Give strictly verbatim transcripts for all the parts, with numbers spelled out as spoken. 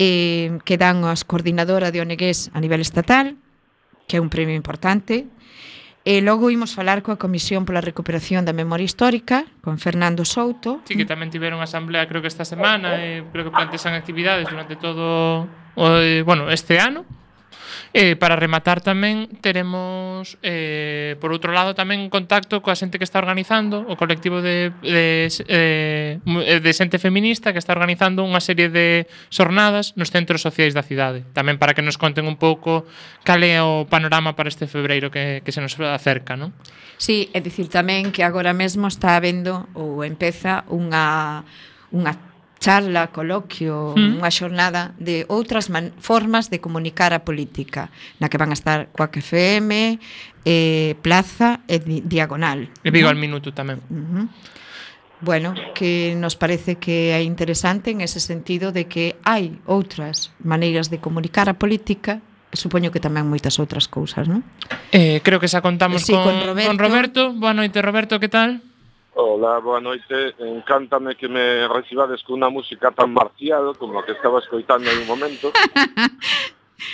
eh, que dan as coordinadora de O N Gs a nivel estatal, que é un premio importante. E logo imos falar coa Comisión pola Recuperación da Memoria Histórica, con Fernando Souto. Sí, que tamén tiveron asamblea creo que esta semana, e creo que plantexan actividades durante todo o, eh, bueno, este ano. E para rematar tamén teremos eh, por outro lado tamén contacto coa xente que está organizando o colectivo de, de, eh, de xente feminista que está organizando unha serie de xornadas nos centros sociais da cidade, tamén para que nos conten un pouco cal é o panorama para este febreiro que, que se nos acerca, non? Sí, é dicir tamén que agora mesmo está habendo ou empeza unha unha charla, coloquio, Mm. unha xornada de outras man- formas de comunicar a política, na que van a estar Quack F M, eh, Plaza e Di- Diagonal. E Vigo non? al minuto tamén. Uh-huh. Bueno, que nos parece que é interesante en ese sentido de que hai outras maneiras de comunicar a política, e supoño que tamén moitas outras cousas, non? Eh, creo que xa contamos Sí, con, con Roberto. con Roberto. Boa noite, Roberto, que tal? Hola, boa noite. Encántame que me recibades con unha música tan marcial como a que estaba escoitando en un momento.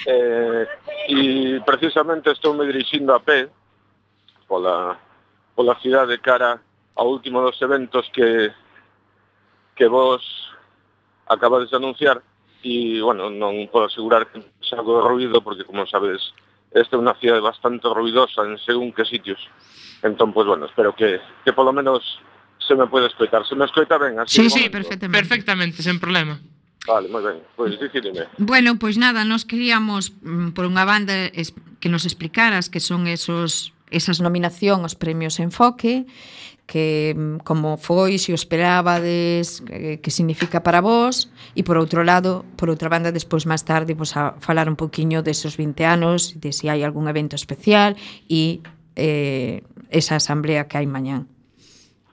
eh, e precisamente estou me dirixindo a pé pola, pola cidade cara ao último dos eventos que que vos acabades de anunciar e, bueno, non podo asegurar que é algo de ruido porque, como sabes, esta é unha cidade bastante ruidosa en según que sitios. Entón, pues bueno, espero que, que polo menos se me pode escoitar. Se me escoita ben, así Sí, de sí, momento? perfectamente. Perfectamente, sen problema. Vale, moi ben. Pois dicídeme. Bueno, pois nada, nos queríamos, mm, por unha banda, es, que nos explicaras que son esos esas nominación aos premios Enfoque, que mm, como foi, se o esperábades, que, que significa para vos, e por outro lado, por outra banda, despois máis tarde, vos a falar un poquinho desos vinte anos, de se hai algún evento especial e eh, esa asamblea que hai mañán.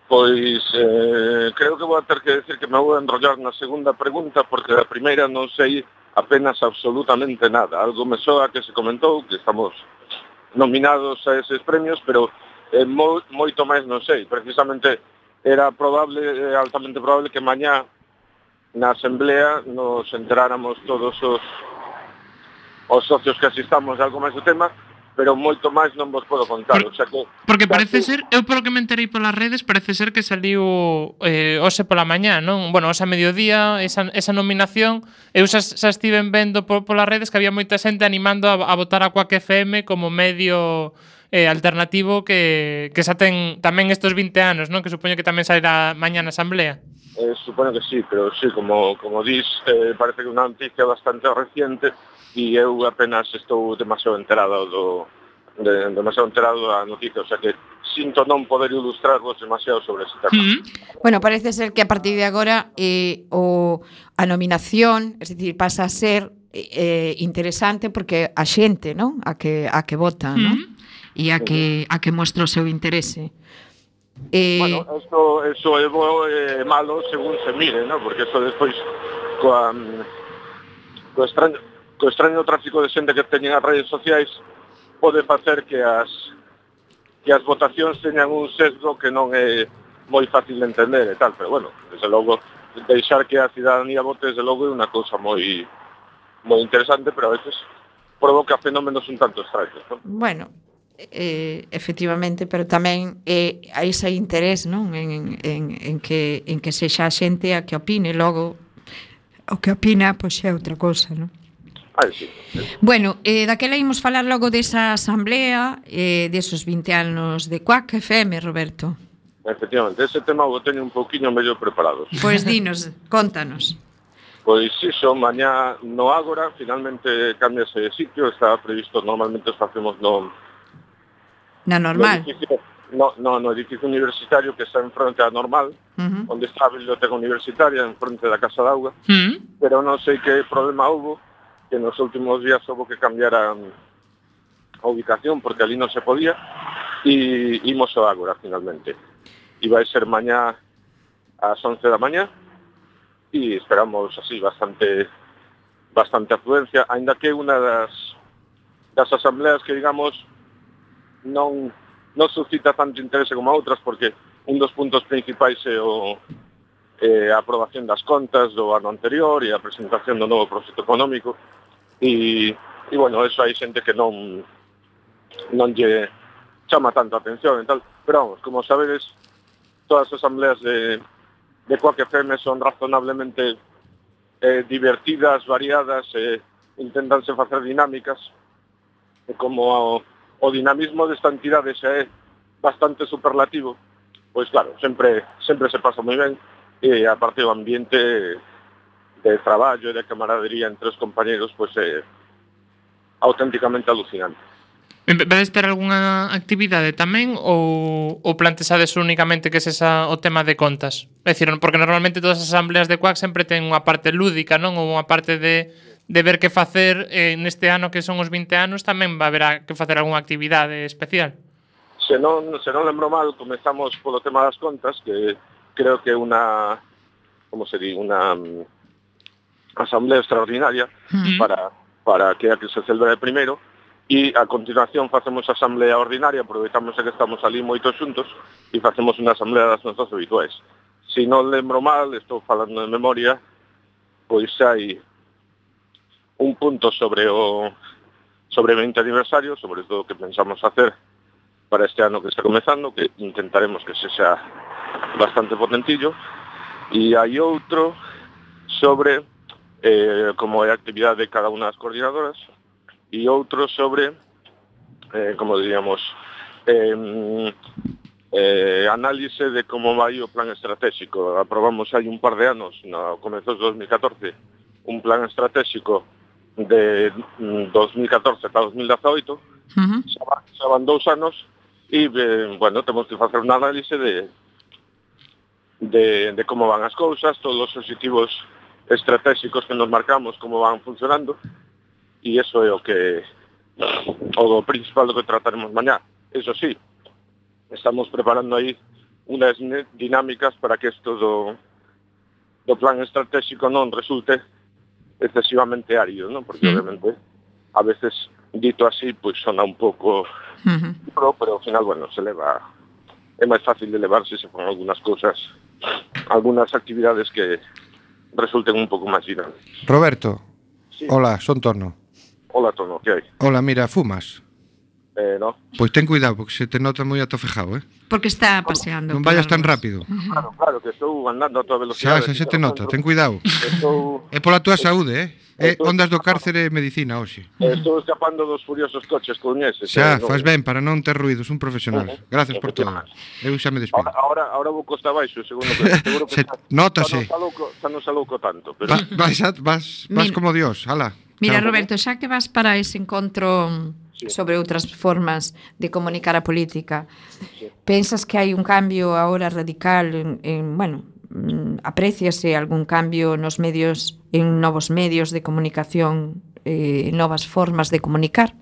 Pois eh, creo que vou a ter que decir que me vou a enrollar na segunda pregunta porque da primeira non sei apenas absolutamente nada. Algo me soa que se comentou que estamos nominados a eses premios, pero eh, mo, moito máis non sei. Precisamente era probable, eh, altamente probable que mañá na asamblea nos enteráramos todos os os socios que asistamos de algo máis do tema, pero moito máis non vos podo contar. Por- o sea que, Porque parece casi- ser, eu polo que me enterei polas redes, parece ser que saliu eh, hoxe pola mañá, non? Bueno, hoxe a mediodía, esa, esa nominación, eu xa, xa estiven vendo por, polas redes que había moita xente animando a, a votar a Quack F M como medio eh, alternativo que, que xa ten tamén estes vinte anos, non? Que supoño que tamén sairá mañá na asamblea. Eh, supoño que sí, pero sí, como, como dis, eh, parece que é unha noticia bastante reciente e eu apenas estou demasiado enterado do de, demasiado enterado da noticia, o sea que sinto non poder ilustrarvos demasiado sobre ese tema. Mm. Bueno, parece ser que a partir de agora eh, o, a nominación, es decir, pasa a ser eh, interesante porque a xente, non? A que a que vota, non? E a que a que mostra o seu interese. Eh, Bueno, esto, eso é bo e eh, malo según se mire, ¿no? Porque eso despois coa, mm, co extraño, co extraño tráfico de xente que teñen as redes sociais pode facer que as que as votacións teñan un sesgo que non é moi fácil de entender e tal, pero bueno, desde logo deixar que a cidadanía vote desde logo é unha cousa moi moi interesante, pero a veces provoca fenómenos un tanto extraños, ¿no? Bueno, eh, efectivamente, pero tamén eh, hai ese interés, non? En, en, en, que, en que sexa a xente a que opine, logo o que opina, pois é outra cousa, non? Ai, sí. Bueno, eh, daquela imos falar logo desa asamblea, eh, desos vinte anos de Quack F M, Roberto. Efectivamente, ese tema o teño un pouquiño medio preparados. Pois dinos, contanos. Pois iso, mañá no Ágora, finalmente cambiase de sitio, estaba previsto, normalmente os facemos no, Na no, normal. edificio, no, no, no edificio universitario que está en fronte á normal, Uh-huh. onde está a biblioteca universitaria, en fronte da Casa d'Auga, Mm. pero non sei que problema houve, que nos últimos días houve que cambiar a, a ubicación, porque ali non se podía, e imos ao Ágora, finalmente. E vai ser mañá ás once da mañá, e esperamos así bastante bastante afluencia, aínda que unha das das asambleas que, digamos, non non suscita tanto interese como a outras, porque un dos puntos principais é o eh, a aprobación das contas do ano anterior e a presentación do novo proxecto económico e, e bueno, eso hai xente que non non lle chama tanto a atención e tal, pero vamos, como sabedes, todas as asambleas de, de Quack F M son razonablemente eh, divertidas, variadas, eh, intentanse facer dinámicas, e como o, o dinamismo desta entidade xa é bastante superlativo, pois claro, sempre sempre se pasa moi ben, e aparte o ambiente de traballo e de camaradería entre os compañeros pois é auténticamente alucinante. Vedes ter algunha actividade tamén ou, ou plantexades únicamente que es esa, o tema de contas? É dicir, porque normalmente todas as asambleas de Quack sempre ten unha parte lúdica, non? Ou unha parte de, de ver que facer eh, neste ano que son os vinte anos tamén va haber que facer algunha actividade especial. Se non, se non lembro mal, comezamos polo tema das contas, que creo que é unha, como se di, unha um, asamblea extraordinaria mm. para, para que a que se celebre primeiro, e a continuación facemos a asamblea ordinaria, aproveitamos que estamos ali moitos xuntos e facemos unha asamblea das nosas habituais. Se non lembro mal, estou falando de memoria, pois hai un punto sobre o sobre o vinte aniversario, sobre todo o que pensamos facer para este ano que está comezando, que intentaremos que se xa bastante potentillo, e hai outro sobre eh, como é a actividade de cada unha das coordinadoras, e outro sobre, eh, como diríamos, eh, eh, análise de como vai o plan estratégico. Aprobamos hai un par de anos, no comezos de dos mil catorce, un plan estratégico de dos mil catorce ata dos mil dezaoito, uh-huh. xa van dous anos, e, eh, bueno, temos que facer un análise de, de, de como van as cousas, todos os objetivos estratégicos que nos marcamos, como van funcionando, e iso é o que o principal do que trataremos mañá. Eso sí, estamos preparando aí unas dinámicas para que isto do, do plan estratégico non resulte excesivamente árido, non? Porque, mm. obviamente, a veces, dito así, pois sona un pouco uh-huh. pro, pero ao final, bueno, se leva, é máis fácil de levarse se fan algunas cousas, algunas actividades que resulten un pouco máis dinámicas. Roberto, sí. Hola, son Tono. Hola, Tono, que hai? Hola, mira, fumas? Eh, no. Pois ten cuidado, porque se te nota moi atofejado, eh? Porque está paseando. Non vayas tan rápido. Claro, claro, que estou andando a toda velocidade. Xa, xa se te nota, ten cuidado. Estou... É pola túa saúde, eh? É ondas do cárcere e medicina hoxe. Estou escapando dos furiosos coches coñeses. Xa, faz ben, para non ter ruidos, un profesional. Gracias por todo. Eu xa me despido. Ahora, ahora vou costa abaixo, segundo que seguro que se, notase. Xa non salouco tanto, pero... Vas, vas, vas como Dios, ala. Mira, Roberto, xa que vas para ese encontro sí. sobre outras formas de comunicar a política, sí. pensas que hai un cambio agora radical en, en bueno, apreciase algún cambio nos medios, en novos medios de comunicación, eh, novas formas de comunicar?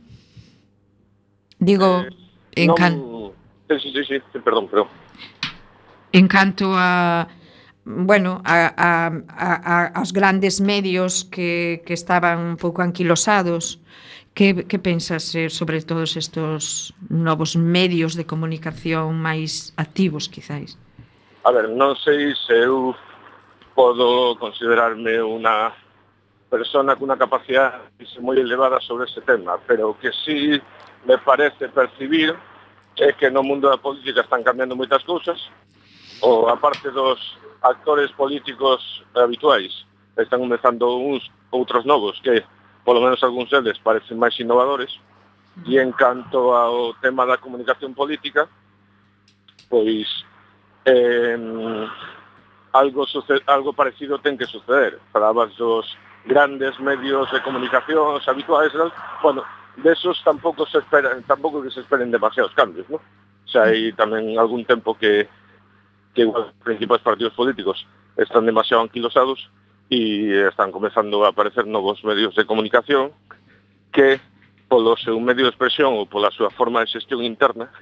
Digo, eh, en non... can... Sí, sí, sí, sí, perdón, perdón. En canto a bueno, a, a, a, aos grandes medios que, que estaban un pouco anquilosados, que, que pensas eh, sobre todos estes novos medios de comunicación máis activos, quizáis? A ver, non sei se eu podo considerarme unha persona con unha capacidade moi elevada sobre ese tema, pero o que sí me parece percibir é que no mundo da política están cambiando moitas cousas, ou aparte dos actores políticos habituais, están comezando uns outros novos que, polo menos algúns deles, parecen máis innovadores, e en canto ao tema da comunicación política, pois eh, algo, sucede, algo parecido ten que suceder. Falabas dos grandes medios de comunicación habituais, bueno, desos tampouco se esperan, tampouco que se esperen demasiados cambios, ¿no? O sea, hai tamén algún tempo que que os principais partidos políticos están demasiado anquilosados e están comezando a aparecer novos medios de comunicación que, polo seu medio de expresión ou pola súa forma de xestión interna,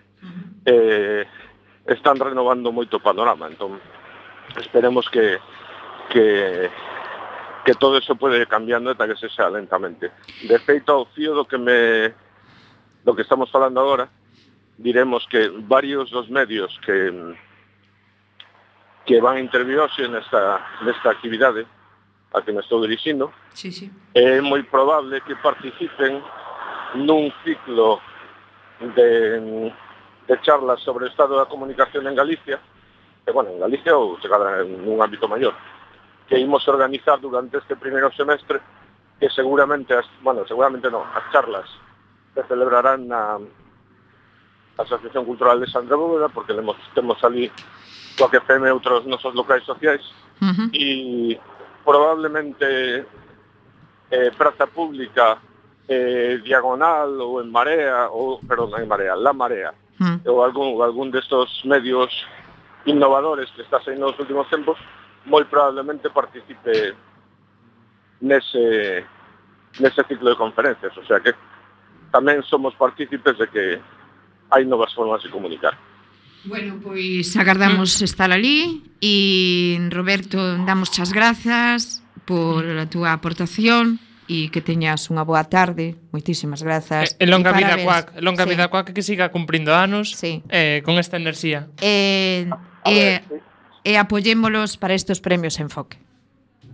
eh, están renovando moito o panorama. Entón, esperemos que, que, que todo eso pode ir cambiando ata que se xa lentamente. De feito, ao fío do que, me, do que estamos falando agora, diremos que varios dos medios que que van a intervir hoxe nesta, nesta actividade a que me estou dirixindo. Sí, sí. É moi probable que participen nun ciclo de, de charlas sobre o estado da comunicación en Galicia, que, bueno, en Galicia ou se cadra en un ámbito maior, que imos organizar durante este primeiro semestre, que seguramente, as, bueno, seguramente non, as charlas se celebrarán na Asociación Cultural de Sandra Bóveda, porque temos, temos ali coa que F M e outros nosos locais sociais, Uh-huh. e probablemente eh, Praza Pública, eh, Diagonal ou en Marea, ou, perdón, en Marea, La Marea, Uh-huh. ou algún, algún destos medios innovadores que está saindo nos últimos tempos, moi probablemente participe nese, nese ciclo de conferencias. O sea que tamén somos partícipes de que hai novas formas de comunicar. Bueno, pois agardamos estar ali e Roberto, damos as grazas por a túa aportación e que teñas unha boa tarde. Moitísimas grazas. E longa vida parabéns. Cuac, longa Sí. vida Cuac, que siga cumprindo anos Sí. eh, con esta enerxía. E, A e, ver, sí. e apoyémolos para estes premios Enfoque.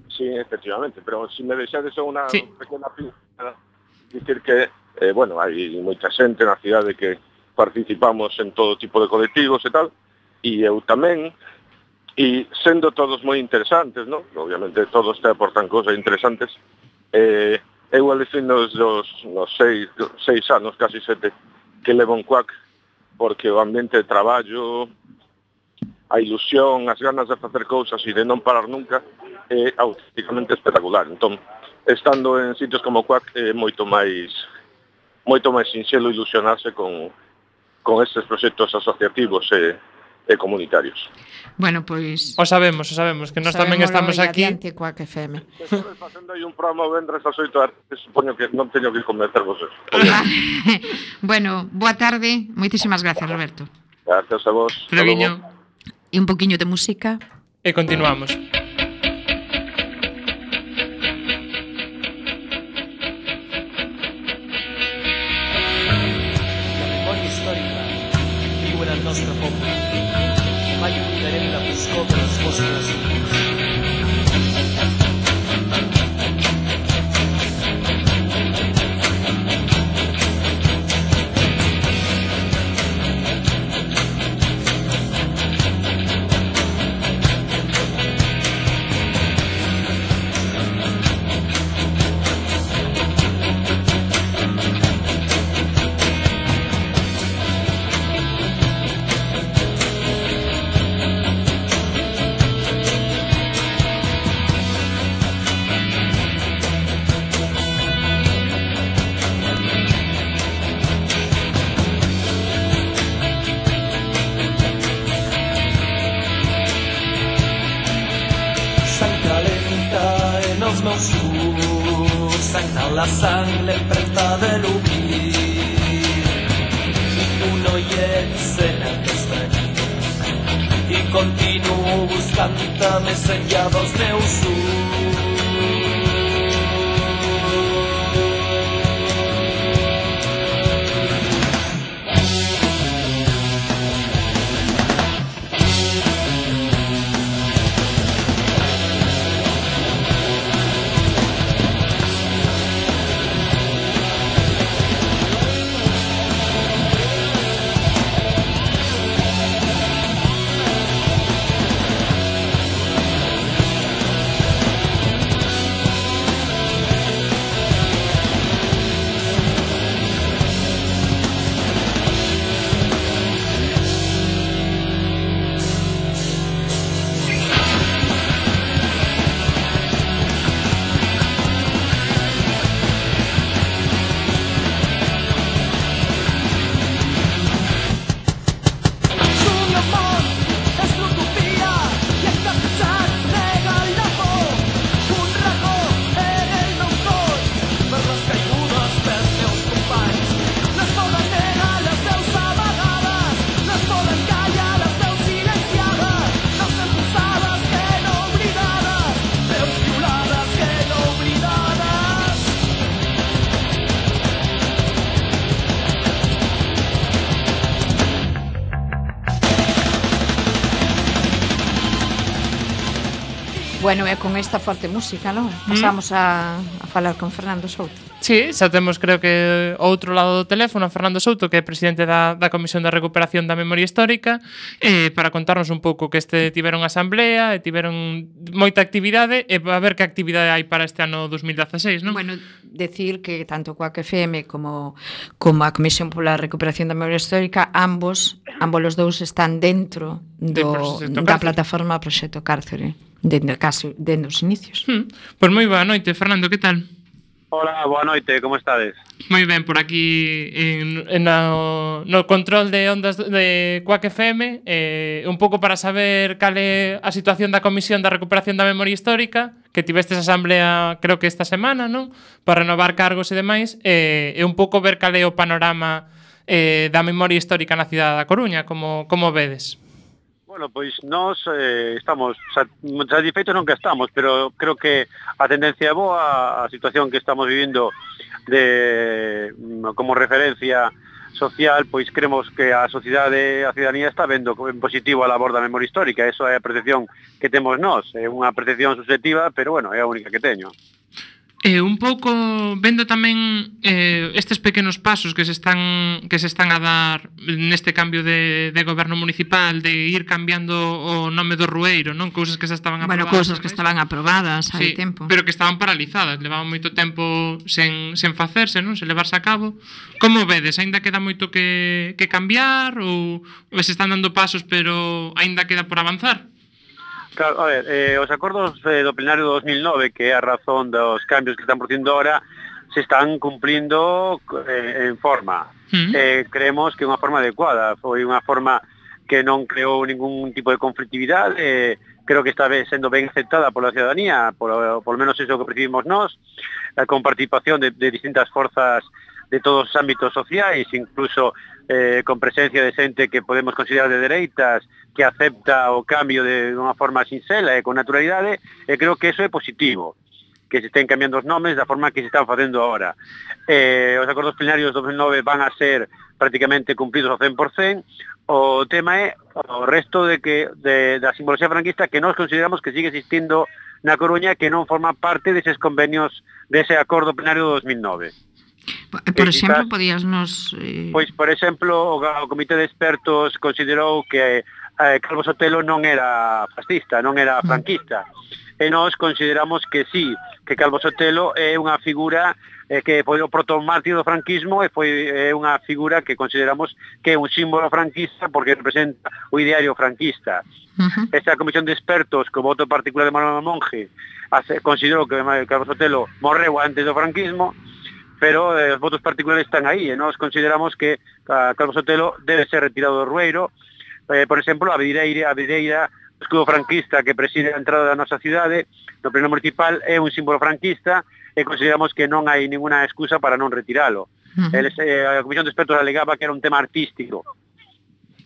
Sí, efectivamente, pero si me deixades unha Sí. pequena pincelada, dicir que, eh, bueno, hai moita xente na cidade que participamos en todo tipo de colectivos e tal, e eu tamén, e sendo todos moi interesantes, ¿no? Obviamente todos te aportan cosas interesantes, eh, eu alucino os dos, nos seis, seis anos, casi sete, que levo en Cuac, porque o ambiente de traballo, a ilusión, as ganas de facer cousas e de non parar nunca, é auténticamente espectacular. Entón, estando en sitios como Cuac, é moito máis moito máis sinxelo ilusionarse con, con estes proxectos asociativos e, e comunitarios. Bueno, pois O sabemos, o sabemos, que nós tamén sabémolo estamos e aquí. adiante Cuac F M. Estou facendo aí un programa o vendres ás oito da tarde, supoño que non teño que convencer vos. Bueno, boa tarde. Moitísimas gracias, Roberto. Gracias a vos. Hasta Freviño. logo. E un poquinho de música. E continuamos. La memoria storica viu nel nostro popolo. Mai oblidarem la foscor de les vostres ulls. Sang calenta en els meus ulls, sang de la sang, l'empremta de l'oblit. I tu no hi ets en aquesta nit, i continuo buscant-te més enllà dels meus ulls. Bueno, e con esta forte música, non? Pasamos a, a falar con Fernando Souto. Sí, xa temos creo que ao outro lado do teléfono a Fernando Souto, que é presidente da, da Comisión de Recuperación da Memoria Histórica, eh, para contarnos un pouco que este tiveron asamblea e tiveron moita actividade e a ver que actividade hai para este ano dos mil dieciséis, non? Bueno, decir que tanto Coac F M como, como a Comisión pola Recuperación da Memoria Histórica, ambos, ambos os dous están dentro do, da plataforma Proxecto Cárcere, dentro, casi, dentro dos inicios. Hmm. Pois moi boa noite, Fernando, que tal? Hola, boa noite, como estades? Moi ben, por aquí en, en no, no control de ondas de Coac F M, eh, un pouco para saber cal é a situación da Comisión da Recuperación da Memoria Histórica, que tivestes asamblea creo que esta semana, non? Para renovar cargos e demais, eh, e un pouco ver cal é o panorama eh, da memoria histórica na cidade da Coruña, como, como vedes? Bueno, pois nós eh, estamos satisfeitos non que estamos, pero creo que a tendencia é boa, a situación que estamos vivindo de como referencia social, pois creemos que a sociedade, a ciudadanía está vendo en positivo a labor da memoria histórica, eso é a percepción que temos nós, é unha percepción subjetiva, pero bueno, é a única que teño. Eh, un pouco vendo tamén eh, estes pequenos pasos que se están que se están a dar neste cambio de, de goberno municipal, de ir cambiando o nome do Rueiro, non? Cousas que se estaban aprobadas. Bueno, cousas que estaban aprobadas hai sí, tempo. Pero que estaban paralizadas, levaban moito tempo sen, sen facerse, non? Sen levarse a cabo. Como vedes? Aínda queda moito que, que cambiar ou, ou se están dando pasos pero aínda queda por avanzar? Claro, a ver, eh, os acordos eh, do plenario do dos mil nove, que é a razón dos cambios que están producindo ahora, se están cumplindo eh, en forma. Mm. Eh, creemos que é unha forma adecuada, foi unha forma que non creou ningún tipo de conflictividade, eh, creo que está sendo ben aceptada pola ciudadanía, por, por lo menos eso que percibimos nós, eh, con participación de, de distintas forzas de todos os ámbitos sociais, incluso eh, con presencia de xente que podemos considerar de dereitas, que acepta o cambio de unha forma sinxela e con naturalidade, e creo que eso é positivo, que se estén cambiando os nomes da forma que se están facendo agora. Eh, os acordos plenarios do dos mil nove van a ser prácticamente cumplidos ao cen por cen, o tema é o resto de que de, da simbología franquista que nós consideramos que sigue existindo na Coruña, que non forma parte deses convenios dese acordo plenario do dos mil nove. Por exemplo, podías nos... Eh... Pois, por exemplo, o, o Comité de Expertos considerou que eh, Calvo Sotelo non era fascista, non era franquista. E nós consideramos que sí, que Calvo Sotelo é unha figura eh, que foi o protomártir do franquismo e foi é unha figura que consideramos que é un símbolo franquista porque representa o ideario franquista. Uh-huh. Esta comisión de expertos, co voto particular de Manuel Monge, hace, considerou que Calvo Sotelo morreu antes do franquismo, pero eh, os votos particulares están aí e nós consideramos que a Calvo Sotelo debe ser retirado do Rueiro. Eh, por exemplo, a videira, a videira, o escudo franquista que preside a entrada da nosa cidade, no pleno municipal, é un símbolo franquista e consideramos que non hai ninguna excusa para non retiralo. Uh-huh. Eles, eh, a Comisión de Expertos alegaba que era un tema artístico,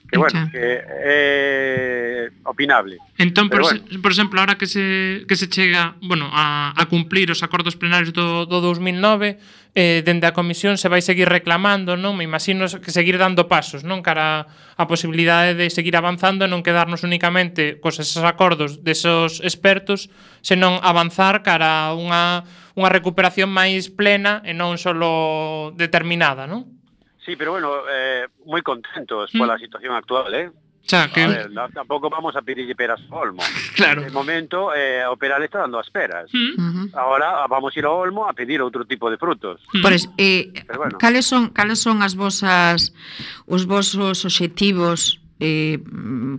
que bueno, que é opinable. Entón, por, bueno. se, por exemplo, ahora que se que se chega, bueno, a, a cumplir os acordos plenarios do, do dos mil nove, eh, dende a comisión se vai seguir reclamando, non? Me imagino que seguir dando pasos, non? Cara a posibilidade de seguir avanzando e non quedarnos únicamente cos esos acordos desos expertos, senón avanzar cara a unha, unha recuperación máis plena e non solo determinada, non? Sí, pero bueno, eh, moi contentos mm. pola situación actual, eh? Xa, que... A ver, no, tampouco vamos a pedirlle peras ao Olmo. Claro. De momento, eh, o peral está dando as peras. Mm. Uh-huh. Ahora vamos ir ao Olmo a pedir outro tipo de frutos. Mm. Por es, eh, bueno. cales son cales son as vosas os vosos obxectivos? Eh,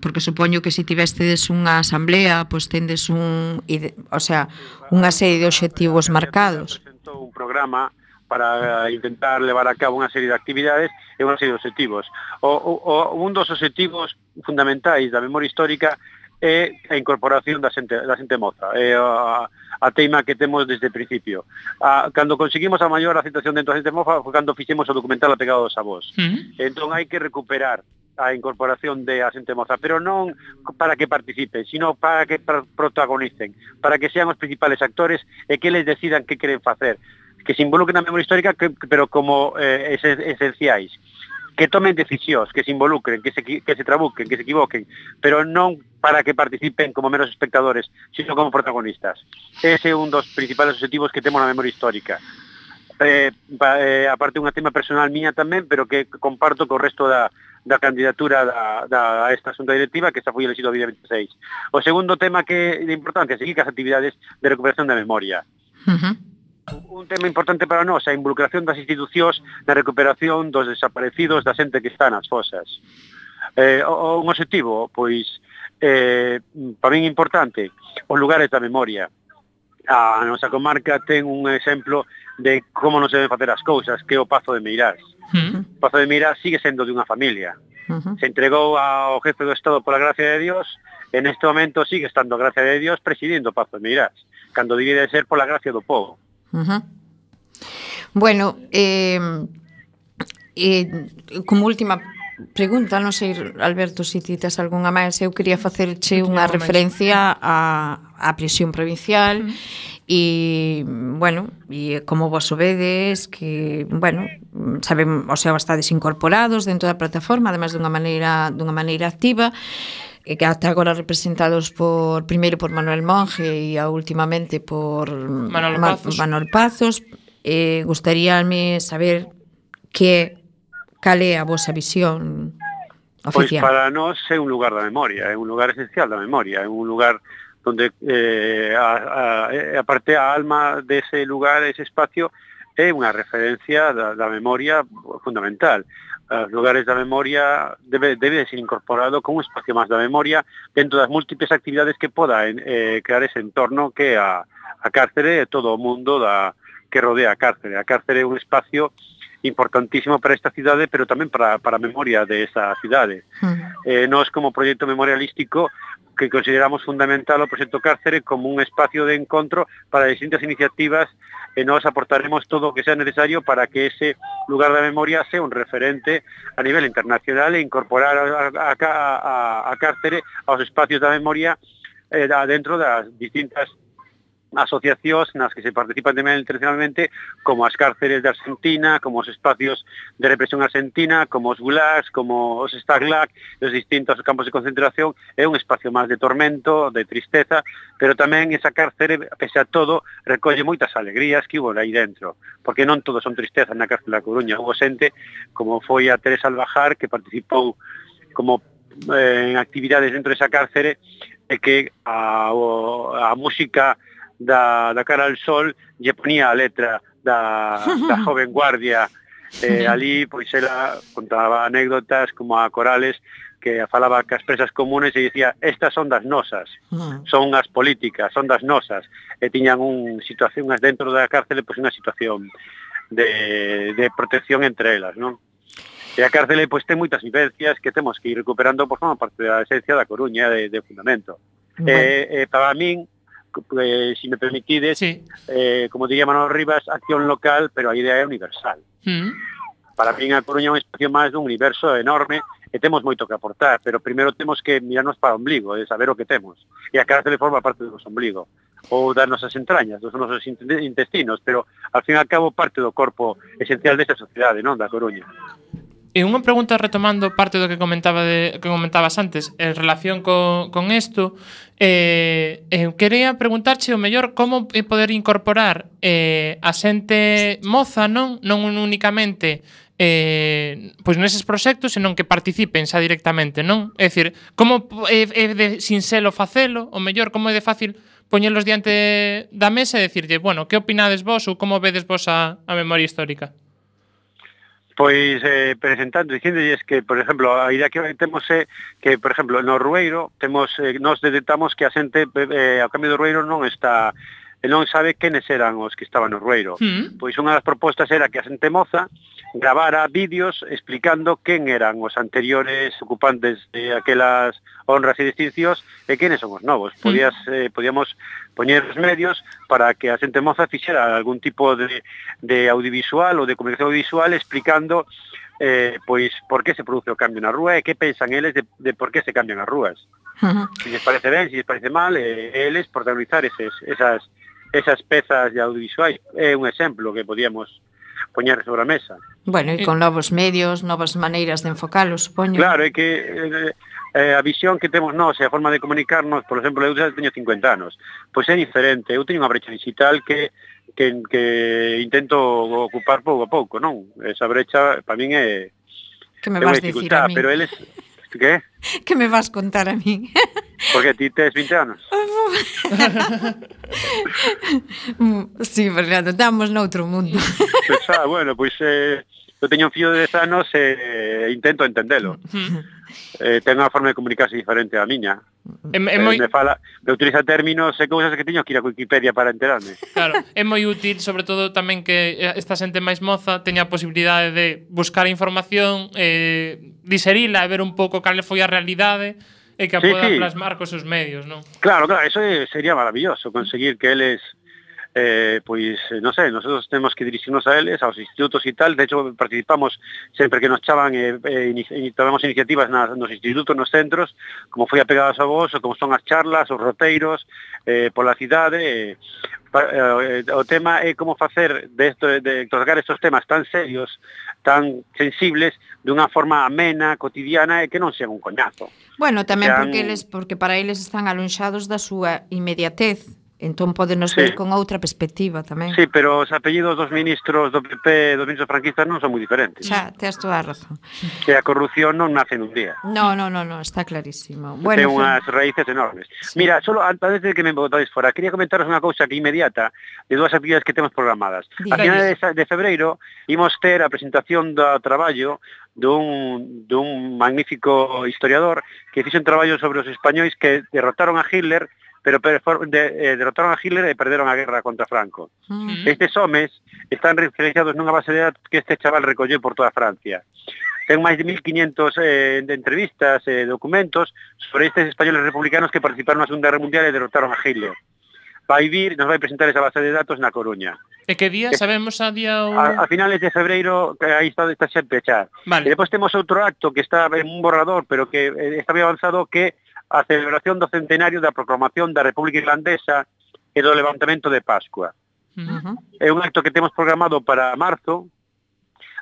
porque supoño que se tivestedes unha asamblea, pois pues tendes un, o sea, unha serie de obxectivos marcados. Presentou un programa para intentar levar a cabo unha serie de actividades e unha serie de objetivos. O, o, un dos objetivos fundamentais da memoria histórica é a incorporación da xente, da xente moza, é a, a teima que temos desde o principio. A, cando conseguimos a maior aceptación dentro da xente moza foi cando fixemos o documental A Pegada dos Avós. Uh-huh. Entón hai que recuperar a incorporación de a xente moza, pero non para que participen, sino para que protagonicen, para que sean os principales actores e que eles decidan que queren facer, que se involucren na memoria histórica, que, pero como eh, esenciais. que tomen decisións, que se involucren, que se, que se trabuquen, que se equivoquen, pero non para que participen como meros espectadores, sino como protagonistas. Ese é un dos principales objetivos que temos na memoria histórica. Eh, eh, aparte unha tema personal mía tamén, pero que comparto co resto da, da candidatura da, da, a esta asunta directiva, que esta foi elegido a día veintiséis. O segundo tema que é de importancia, seguir as actividades de recuperación da memoria. Uh-huh. Un tema importante para nós, a involucración das institucións na recuperación dos desaparecidos da xente que está nas fosas. Eh, o, un objetivo, pois, eh, para min importante, os lugares da memoria. A nosa comarca ten un exemplo de como non se deben facer as cousas, que é o Pazo de Meirás. Uh-huh. O Pazo de Meirás sigue sendo de unha familia. Uh-huh. Se entregou ao jefe do Estado pola gracia de Dios, en este momento sigue estando a gracia de Dios presidindo o Pazo de Meirás, cando debe de ser pola gracia do povo. Uh-huh. Bueno, eh, eh, como última pregunta, non sei, Alberto, se ti tes algunha máis, eu quería facerche unha referencia á, á prisión provincial. Uh-huh. E, bueno, e como vos sobedes, que, bueno, sabem, o sea, estades incorporados dentro da plataforma, además dunha maneira, dunha maneira activa, e que ata agora representados por primeiro por Manuel Monge e a últimamente por Manuel Pazos. Manuel Pazos. Eh, gustaríame saber que cal é a vosa visión oficial. Pois para nós é un lugar da memoria, é un lugar esencial da memoria, é un lugar donde eh, a, a, a parte a alma dese lugar, ese espacio, é unha referencia da, da memoria fundamental. Os lugares da memoria debe, debe de ser incorporado como un espacio máis da memoria dentro das múltiples actividades que poda eh, crear ese entorno que a, a cárcere e todo o mundo da, que rodea a cárcere. A cárcere é un espacio importantísimo para esta cidade, pero tamén para, para a memoria de esa cidade. Uh-huh. Eh, nós, como proxecto memorialístico, que consideramos fundamental o proxecto Cárcere como un espacio de encontro para distintas iniciativas, e nós aportaremos todo o que sea necesario para que ese lugar da memoria sea un referente a nivel internacional e incorporar a, a, a, a Cárcere aos espacios da memoria eh, dentro das distintas asociacións nas que se participan tamén internacionalmente, como as cárceres de Argentina, como os espacios de represión argentina, como os gulags, como os Stalag, os distintos campos de concentración. É un espacio máis de tormento, de tristeza, pero tamén esa cárcere, pese a todo, recolle moitas alegrías que hubo aí dentro, porque non todos son tristezas na cárcere da Coruña. Hubo xente, como foi a Teresa Albajar, que participou como eh, en actividades dentro desa cárcere, e que a, a música Da, da Cara al Sol lle ponía a letra da, da joven guardia. Eh, ali, pois, ela contaba anécdotas como a Corales, que falaba que as presas comunes e dicía, estas son das nosas, son as políticas, son das nosas, e tiñan un situación dentro da cárcel, pois unha situación de, de protección entre elas, non? E a cárcel, pois, ten moitas vivencias que temos que ir recuperando por forma parte da esencia da Coruña, de, de fundamento. Bueno. E, e para min, Eh, si me permitides, sí. eh, como diría Manuel Rivas, acción local, pero a idea é universal. Mm. Para mí a Coruña é un espacio máis dun universo enorme e temos moito que aportar, pero primeiro temos que mirarnos para o ombligo, de saber o que temos. E a cárcel forma parte do noso ombligo, ou das nosas entrañas, dos nosos intestinos, pero al fin e al cabo parte do corpo esencial desta sociedade, non, da Coruña. E unha pregunta retomando parte do que comentaba de, que comentabas antes en relación co, con isto, eh, eh, quería preguntarche o mellor como poder incorporar eh, a xente moza, non non únicamente eh, pois neses proxectos, senón que participen xa directamente, non? É dicir, como é, é de sinxelo facelo, o mellor, como é de fácil poñelos diante da mesa e decirlle, bueno, que opinades vos ou como vedes vos a, a memoria histórica? Pois eh, presentando, dicíndolles que, por exemplo, a idea que temos é que, por exemplo, no Rueiro temos, eh, nos detectamos que a xente eh, ao cambio do Rueiro non está, non sabe quenes eran os que estaban no Rueiro. Mm. Pois unha das propostas era que a xente moza gravara vídeos explicando quen eran os anteriores ocupantes de aquelas honras e distincións e quenes son os novos. Podías, eh, podíamos poñer os medios para que a xente moza fixera algún tipo de, de audiovisual ou de comunicación audiovisual explicando eh, pois por que se produce o cambio na rúa e que pensan eles de, de por que se cambian as rúas. Uh-huh. Se les parece ben, se les parece mal, eh, eles protagonizar eses, esas, esas pezas de audiovisuais. É un exemplo que podíamos poñer sobre a mesa. Bueno, e con novos medios, novas maneiras de enfocalo, supoño. Claro, é que eh, eh, a visión que temos nós e a forma de comunicarnos, por exemplo, eu xa teño cincuenta anos, pois é diferente. Eu teño unha brecha digital que que, que intento ocupar pouco a pouco, non? Esa brecha, para min, é que me vas dicir a mí? Pero eles... Que? Que me vas contar a mí? Porque ti tes vinte anos. Sí, Fernando, estamos noutro mundo. Pois, ah, bueno, pois eh, eu teño un fillo de dez anos e eh, intento entendelo. eh, ten unha forma de comunicarse diferente á miña. É, é eh, moi... Me fala, me utiliza términos e cousas que teño que ir a Wikipedia para enterarme. Claro, é moi útil, sobre todo tamén que esta xente máis moza teña a posibilidade de buscar información, eh, diserila e ver un pouco cal foi a realidade e que a Sí, poda sí. plasmar cos seus medios, non? Claro, claro, eso é- sería maravilloso, conseguir que eles, eh, pois, eh, non sei, nosotros temos que dirixirnos a eles, aos institutos e tal. De hecho, participamos sempre que nos chaman e eh, eh, ini- tomamos iniciativas nas, nos institutos, nos centros, como foi a Pegadas a Vos, ou como son as charlas, os roteiros, eh, pola cidade. Eh, pa, eh, o tema é como facer de, esto, de tocar estes temas tan serios, tan sensibles, dunha forma amena, cotidiana, e que non sean un coñazo. Bueno, tamén Sean- porque eles porque para eles están alonxados da súa inmediatez. Entón podenos Sí. ver con outra perspectiva tamén. Sí, pero os apellidos dos ministros do P P, dos ministros franquistas non son moi diferentes. Xa, tes toda a razón. Que a corrupción non nace nun día. No, no, no, no, está clarísimo. Ten Bueno, unhas raíces enormes. Mira, solo antes de que me botáis fora, quería comentaros unha cousa que inmediata de dúas actividades que temos programadas. A Diga. finales de, sa- de febreiro imos ter a presentación do traballo dun, dun magnífico historiador que fixo un traballo sobre os españois que derrotaron a Hitler, pero per- for- de, eh, derrotaron a Hitler e perderon a guerra contra Franco. Mm. Estes homes están referenciados nunha base de datos que este chaval recolleu por toda Francia. Ten máis de mil quinientos eh, de entrevistas e eh, documentos sobre estes españoles republicanos que participaron na Segunda Guerra Mundial e derrotaron a Hitler. Vai vir, nos vai presentar esa base de datos na Coruña. E que día? Sabemos a día o... A, a finales de febreiro, que aí está, está xa pechar. Vale. E depois temos outro acto que está en un borrador, pero que eh, está moi avanzado, que a celebración do centenario da proclamación da República Irlandesa e do levantamento de Pascua. Ujú. É un acto que temos programado para marzo.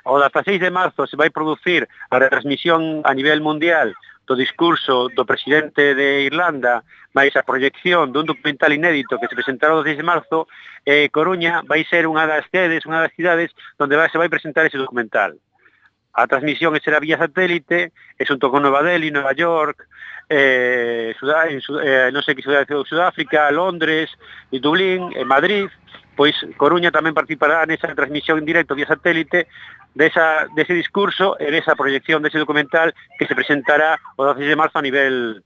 O dezasseis de marzo se vai producir a retransmisión a nivel mundial do discurso do presidente de Irlanda, máis a proyección dun documental inédito que se presentará o dezasseis de marzo. E Coruña vai ser unha das sedes, unha das cidades onde vai, se vai presentar ese documental. A transmisión será vía satélite, e xunto con Nova Delhi, Nova York, eh, Sudá, en, eh, non sei que ciudad de Sudáfrica, Londres, e Dublín, e Madrid, pois Coruña tamén participará nesa transmisión en directo vía satélite desa, dese discurso e desa proyección dese documental que se presentará o dezasseis de marzo a nivel,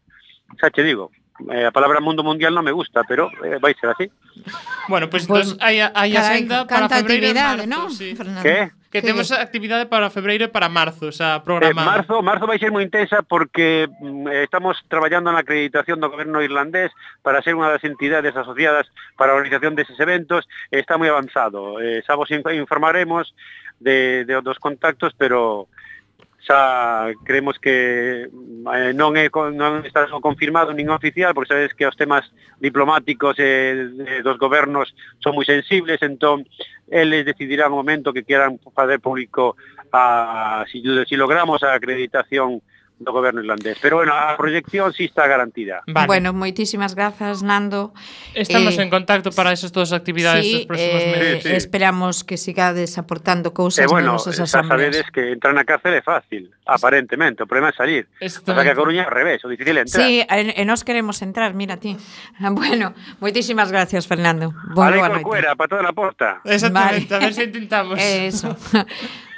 xa che digo, eh, a palabra mundo mundial non me gusta, pero eh, vai ser así. Bueno, pois Pues, pues, hai, hai carai, axenda para canta febreiro e actividade, marzo, ¿no, sí. Fernando? Que? Que Que- temos actividade para febreiro e para marzo, o sea, Eh, programada. marzo, marzo vai ser moi intensa porque mm, eh, estamos traballando na acreditación do goberno irlandés para ser unha das entidades asociadas para a organización deses eventos. Eh, está moi avanzado. Eh, xa vos inf- informaremos de, de dos contactos, pero xa creemos que eh, non é con- non está confirmado nin oficial, porque sabes que os temas diplomáticos eh, de, dos gobernos son moi sensibles, entón eles decidirán o momento que quieran fazer público a, si, si logramos a acreditación do goberno irlandés. Pero bueno, a proyección sí está garantida. Vale. Bueno, moitísimas grazas, Nando. Estamos eh, en contacto para esas dos actividades Sí, dos próximos eh, meses. Sí, sí. esperamos que sigades aportando cousas E bueno, nas nosas xa asambleas. sabedes que entrar na cárcel é fácil, aparentemente, o problema é salir. O sea que a Coruña é ao revés, o difícil é entrar. Sí, e, e nos queremos entrar, mira ti. Bueno, moitísimas gracias, Fernando. Boa, Vale, boa corcuera, noite. para toda a porta. Exactamente, Vale. a ver se intentamos. Eso.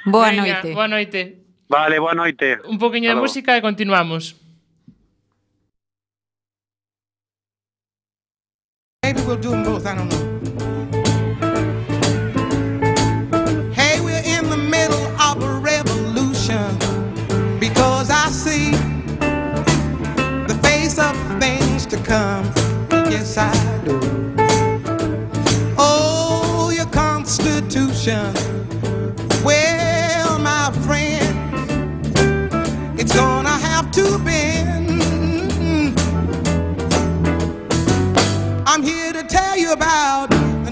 Boa Veña, noite. Boa noite. Vale, boa noite. Un poquinho de Hasta logo. música e continuamos. Maybe we'll do them both, I don't know. Hey, we're in the middle of a revolution because I see the face of things to come. Yes, I do. Oh, your Constitution. Well, my friend, it's gonna have to bend. I'm here to tell you about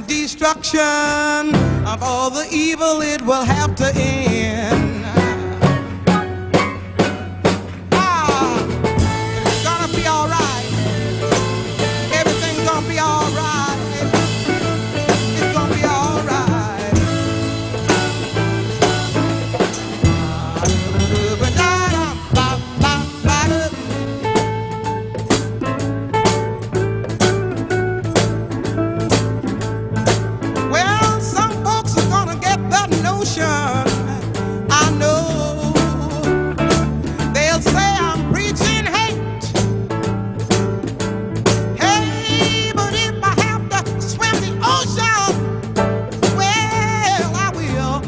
destruction of all the evil it will have to end. Ah, it's gonna be all right. Everything's gonna be all right. It's gonna be all right. Well, some folks are gonna get that notion. I know they'll say I'm preaching hate. Hey, but if I have to swim the ocean, well, I will,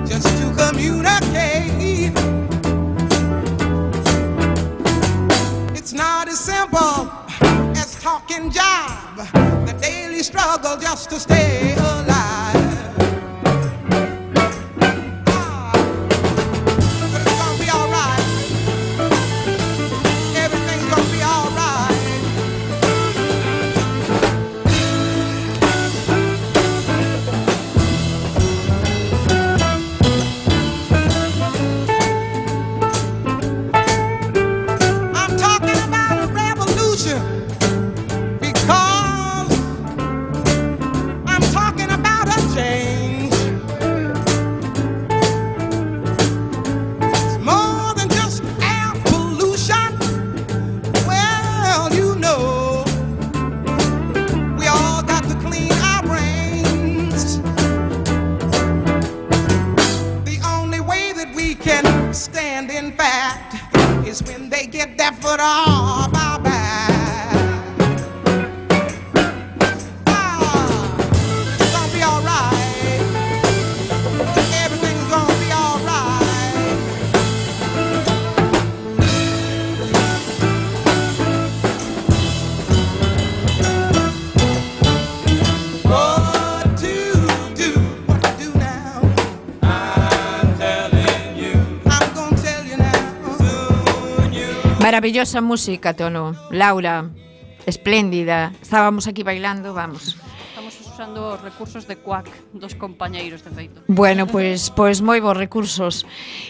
just to communicate. It's not as simple as talking job, the daily struggle just to stay alive. Ah, but it's gonna be all right. Everything's gonna be all right. I'm talking about a revolution because I'm talking about a change. It's more than just air pollution. Well, you know, we all got to clean our brains. The only way that we can stand, in fact, is when they get that foot off our back. Ah, it's gonna be all right. Everything's gonna be all right. What to do? What to do now? I'm telling you. I'm gonna tell you now. Soon you. Maravillosa música, Tono. Laura, espléndida. Estábamos aquí bailando, vamos. Estamos usando os recursos de Quack dos compañeiros, de feito. Bueno, pois pois moi bons recursos.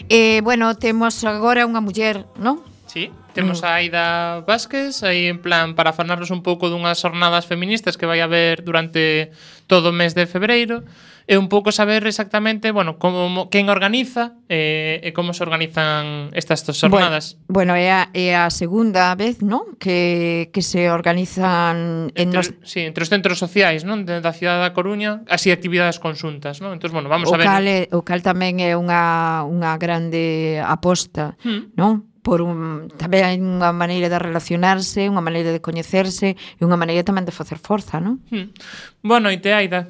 Eh, bueno, temos agora unha muller, non? Sí, temos a Aida Vázquez aí en plan para falarnos un pouco dunhas jornadas feministas que vai haber durante todo o mes de febreiro e un pouco saber exactamente, bueno, como quen organiza e, e como se organizan estas jornadas. Bueno, bueno é, a, é a segunda vez, non? Que, que se organizan en Entre, nos... sí, entre os centros sociais, non? De, da cidade da Coruña, así actividades conxuntas, non? Entón, bueno, vamos o a ver. cal, é, o cal tamén é unha, unha grande aposta, Mm. non? Por un, tamén hai unha maneira de relacionarse, unha maneira de coñecerse e unha maneira tamén de facer forza, non? Mm. Boa noite, Aida.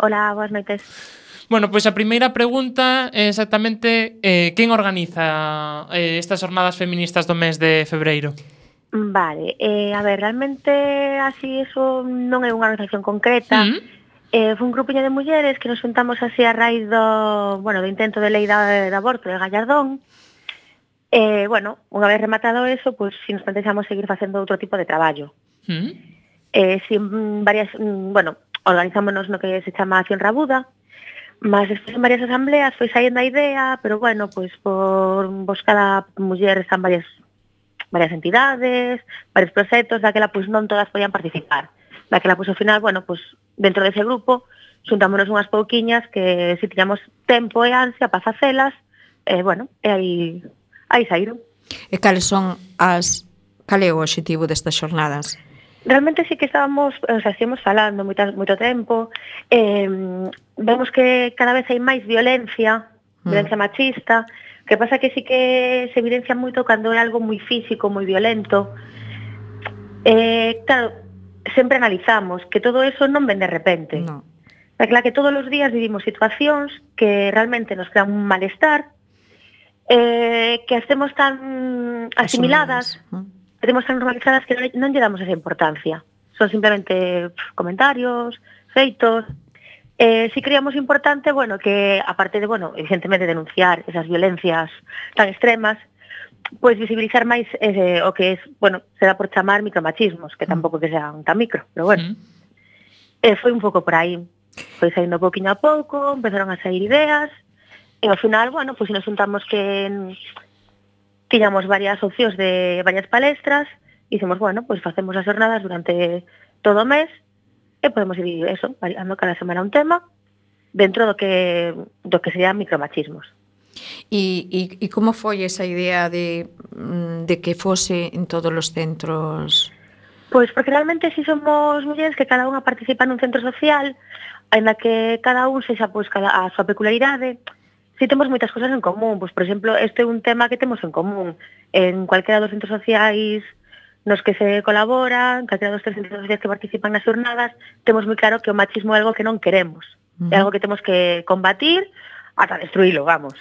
Hola, boas noites. Bueno, pois a primeira pregunta é exactamente eh, quen organiza eh, estas jornadas feministas do mes de febreiro? Vale, eh, a ver, realmente así eso non é unha organización concreta. Mm. Eh, foi un grupiño de mulleres que nos juntamos así a raíz do, bueno, do intento de lei da, de aborto de Gallardón. Eh, bueno, unha vez rematado eso, pois pues, si nos plantexamos seguir facendo outro tipo de traballo. Mm. Eh, si varias, bueno, organizámonos no que se chama Acción Rabuda, mas despois en varias asambleas foi saíndo a idea, pero bueno, pois por vos cada muller están varias varias entidades, varios proxectos, daquela pois non todas podían participar. Daquela pois ao final, bueno, pois dentro dese grupo xuntámonos unhas pouquiñas que si tiñamos tempo e ansia para facelas, eh, bueno, e aí aí saíron. E cales son as cal é o obxectivo destas xornadas? Realmente sí que estábamos, o sea, estivemos falando moito, moito tempo, eh, vemos que cada vez hai máis violencia, mm. violencia machista, que pasa que sí que se evidencia moito cando é algo moi físico, moi violento. Eh, claro, sempre analizamos que todo eso non ven de repente. No. Claro que todos os días vivimos situacións que realmente nos crean un malestar, eh, que estemos tan asimiladas, mm. que temos tan normalizadas que non lle damos esa importancia. Son simplemente pff, comentarios, feitos. Eh, si creíamos importante, bueno, que aparte de, bueno, evidentemente denunciar esas violencias tan extremas, pois pues, visibilizar máis eh, o que es, bueno, se dá por chamar micromachismos, que tampouco que sean tan micro, pero bueno. Mm. Eh, foi un pouco por aí. foi saindo pouquiño a pouco, empezaron a sair ideas, e ao final, bueno, pois nos juntamos que tiñamos varias opcións de varias palestras, e dicimos, bueno, pois facemos as jornadas durante todo o mes, e podemos ir, eso, variando cada semana un tema, dentro do que do que serían micromachismos. E, e, e como foi esa idea de, de que fose en todos os centros? Pois porque realmente si somos mulleres que cada unha participa nun centro social, ainda que cada un sexa pois cada a súa peculiaridade, si temos moitas cousas en común. Pois, por exemplo, este é un tema que temos en común. En cualquera dos centros sociais nos que se colabora, en calquera dos tres centros sociais que participan nas jornadas, temos moi claro que o machismo é algo que non queremos. Uh-huh. É algo que temos que combatir ata destruílo, vamos.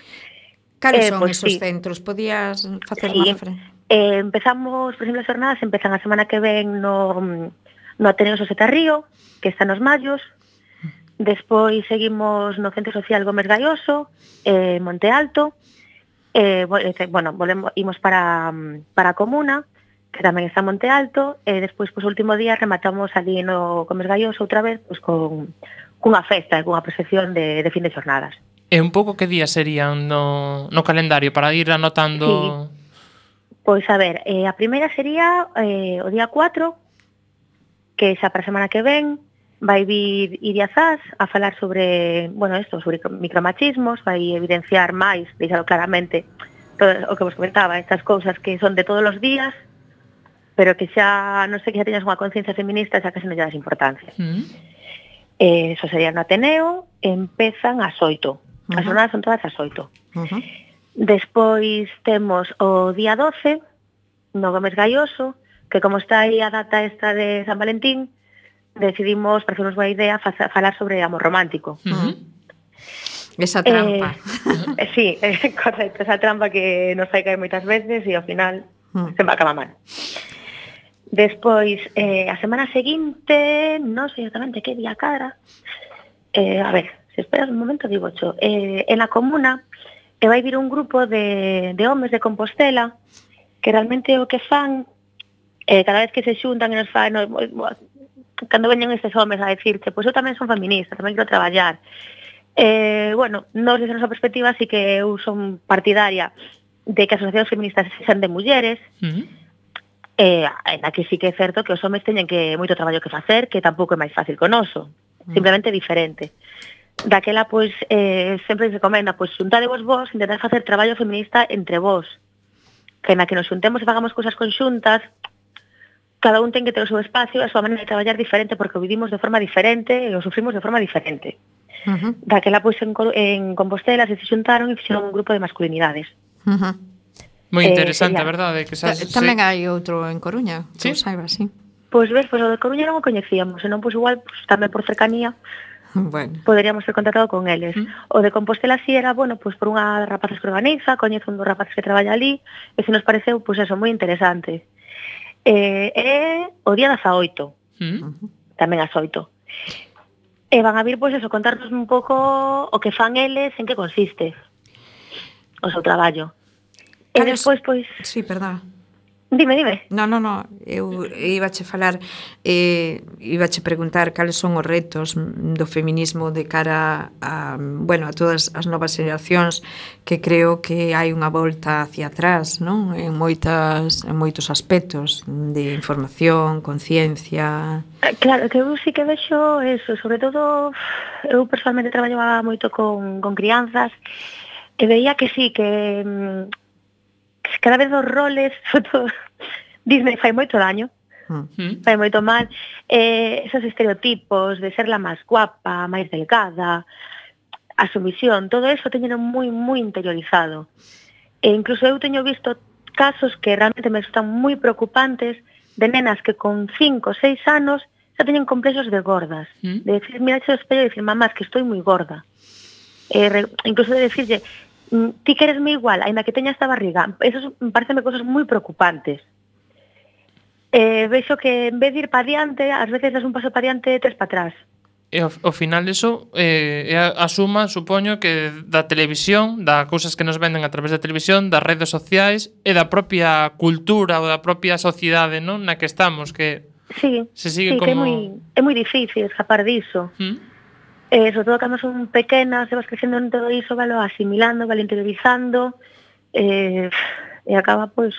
Cales eh, son pues, esos sí. centros? Podías facer sí. unha referencia? Eh, empezamos, por exemplo, as jornadas empezan a semana que ven no, no Ateneo Soseta Río, que está nos Mallos. Despois seguimos no Centro Social Gómez Gaioso, eh, Monte Alto. Eh, bueno, volvemos, imos para, para a Comuna, que tamén está en Monte Alto. E despois, pois, o último día rematamos ali no Gómez Gaioso outra vez, pois, con, cunha festa, cunha procesión de, de fin de jornadas. E un pouco que días serían no, no calendario para ir anotando... Sí. Pois a ver, eh, a primeira sería eh, o día cuatro, que xa para a semana que ven vai vir Iria Zas a falar sobre, bueno, esto, sobre micromachismos, vai evidenciar máis, deixalo claramente, todo o que vos comentaba, estas cousas que son de todos os días, pero que xa, non sei, que xa teñas unha conciencia feminista, xa que se non lle das importancia. Mm. Eh, eso sería no Ateneo, empezan ás oito. As jornadas son todas ás oito. Uh-huh. Despois temos o día doce, no Gómez Gaioso, que como está aí a data esta de San Valentín, decidimos, para hacernos boa idea, falar sobre amor romántico. Uh-huh. Esa trampa. Eh, sí, eh, correcto, esa trampa que nos fai caer moitas veces e ao final uh-huh. se me acaba mal. Despois, eh, a semana seguinte, non sei exatamente que día cara, eh, a ver, se esperas un momento, digo cho, eh, en la Comuna, e vai vir un grupo de, de homes de Compostela que realmente o que fan eh, cada vez que se xuntan e nos fan no, cando veñen estes homes a decirte pois eu tamén son feminista, tamén quero traballar eh, bueno, nos desde a nosa perspectiva sí que eu son partidaria de que as asociacións feministas sexan de mulleres uh-huh. eh, na que sí que é certo que os homes teñen que moito traballo que facer, que tampouco é máis fácil que o noso, uh-huh. simplemente diferente. Daquela, pois, eh, sempre se recomenda, pois, xuntadevos vos, intentar facer traballo feminista entre vos. Que na que nos xuntemos e fagamos cousas conxuntas, cada un ten que ter o seu espacio e a súa maneira de traballar diferente, porque o vivimos de forma diferente e o sufrimos de forma diferente. Uh-huh. Daquela, pois, en, en Compostela se xuntaron e fixeron un grupo de masculinidades. Uh-huh. Moi interesante, eh, a verdade. Que xa, tamén sí. hai outro en Coruña, sí. que saibas, sí. Pois ves, pois o de Coruña non o coñecíamos, senón, pois, igual, pois, tamén por cercanía, bueno. Poderíamos ter contactado con eles. Mm. O de Compostela si era, bueno, pois por unha rapazas que organiza, coñezo un dos rapaces que traballa ali, e se nos pareceu, pois eso, moi interesante. E eh, o día dezaoito, mm. tamén ás oito. E van a vir, pois eso, contarnos un pouco o que fan eles, en que consiste o seu traballo. E despois, pois... Sí, perdón. Dime, dime. No, no, no, eu ibache falar, eh, ibache preguntar cales son os retos do feminismo de cara a, bueno, a todas as novas xeracións, que creo que hai unha volta hacia atrás, non? En moitas en moitos aspectos de información, conciencia. Claro, que eu sí que vexo eso, sobre todo eu personalmente traballaba moito con con crianzas e veía que sí que cada vez os roles, sobre todo, Disney fai moito daño, mm. fai moito mal, eh, esos estereotipos de ser la máis guapa, máis delgada, a sumisión, todo eso teñeno moi, moi interiorizado. E incluso eu teño visto casos que realmente me resultan moi preocupantes de nenas que con cinco, seis anos xa teñen complexos de gordas. Mm. De decir, mira, ese espello e decir, mamá, es que estoy moi gorda. Eh, re, incluso de decirlle, ti queresme igual, ainda que teña esta barriga. Eso me parecen cousas moi preocupantes. Eh, vexo que en vez de ir para diante, ás veces das un paso para diante e tres para atrás. E ao, ao final eso eh, é a, a suma, supoño, que da televisión, da cousas que nos venden a través da televisión, das redes sociais e da propia cultura ou da propia sociedade, non, na que estamos, que sí, se sigue sí, como... que é moi, é moi difícil escapar diso. ¿Mm? Eh, sobre todo cando son pequenas, se vas crecendo en todo iso, valo asimilando, valo interiorizando, eh, e acaba, pois,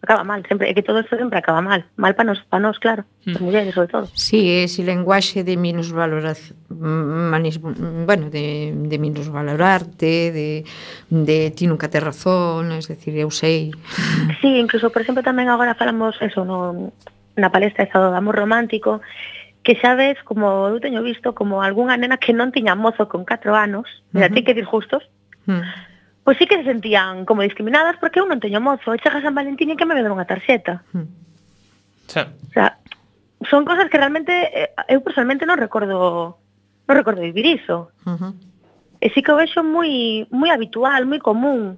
acaba mal, sempre, é que todo isto sempre acaba mal, mal para nos, para nos, claro, as mulleres sobre todo. Sí, ese lenguaxe de minusvaloración, manis, bueno, de, de minusvalorarte, de, de ti nunca tes razón, es decir, eu sei. Sí, incluso, por exemplo, tamén agora falamos eso, no, na palestra esa do amor romántico, que xa ves, como eu teño visto, como algunha nena que non tiña mozo con catro anos, mira, uh -huh. ti que dir justos, uh -huh. pois sí que se sentían como discriminadas porque eu non teño mozo, e chega San Valentín e que me deu unha tarxeta. Uh -huh. Sí. O sea, son cosas que realmente eh, eu personalmente non recordo non recordo vivir iso. Uh -huh. E sí que o vexo moi moi habitual, moi común.